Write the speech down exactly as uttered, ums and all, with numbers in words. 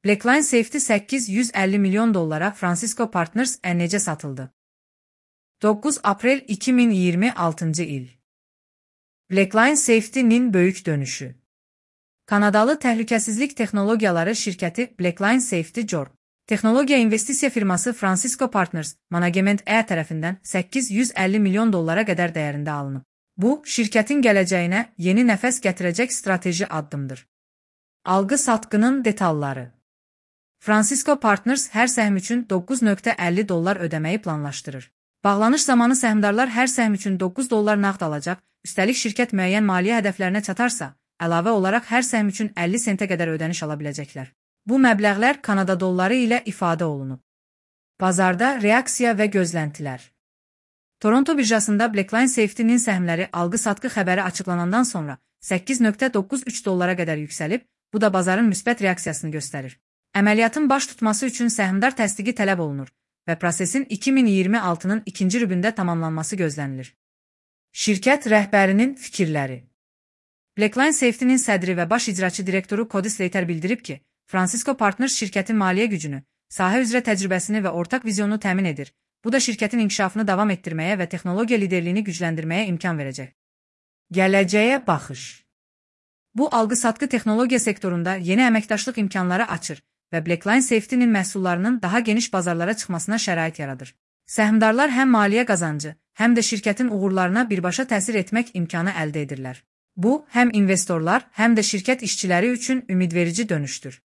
Blackline Safety səkkiz yüz əlli milyon dollara Francisco Partners necə satıldı? doqquz aprel iki min iyirmi altıncı il. Blackline Safety'nin böyük dönüşü. Kanadalı təhlükəsizlik texnologiyaları şirkəti Blackline Safety Corp texnologiya investisiya firması Francisco Partners Management E tərəfindən səkkiz yüz əlli milyon dollara qədər dəyərində alınıb. Bu, şirkətin gələcəyinə yeni nəfəs gətirəcək strateji addımdır. Alqı-satqının detalları. Francisco Partners hər səhm üçün doqquz nöqtə əlli dollar ödəməyi planlaşdırır. Bağlanış zamanı səhmdarlar hər səhm üçün doqquz dollar nağd alacaq, üstəlik şirkət müəyyən maliyyə hədəflərinə çatarsa, əlavə olaraq hər səhm üçün əlli sentə qədər ödəniş ala biləcəklər. Bu məbləğlər Kanada dolları ilə ifadə olunub. Bazarda reaksiya və gözləntilər. Toronto birjasında Blackline Safety'nin səhmləri alqı-satqı xəbəri açıqlanandan sonra səkkiz nöqtə doqquz üç dollara qədər yüksəlib, bu da bazarın müsbət reaksiyasını göstərir. Əməliyyatın baş tutması üçün səhmdar təsdiqi tələb olunur və prosesin iki min iyirmi altının ikinci rübündə tamamlanması gözlənilir. Şirkət rəhbərinin fikirləri. Blackline Safety'nin sədri və baş icraçı direktoru Cody Slater bildirib ki, Francisco Partners şirkətin maliyyə gücünü, sahə üzrə təcrübəsini və ortaq vizyonunu təmin edir. Bu da şirkətin inkişafını davam etdirməyə və texnologiya liderliyini gücləndirməyə imkan verəcək. Gələcəyə baxış. Bu, alqı-satqı texnologiya sektorunda yeni əməkdaşlıq imkanları açır və Blackline Safety'nin məhsullarının daha geniş bazarlara çıxmasına şərait yaradır. Səhmdarlar həm maliyyə qazancı, həm də şirkətin uğurlarına birbaşa təsir etmək imkanı əldə edirlər. Bu, həm investorlar, həm də şirkət işçiləri üçün ümidverici dönüşdür.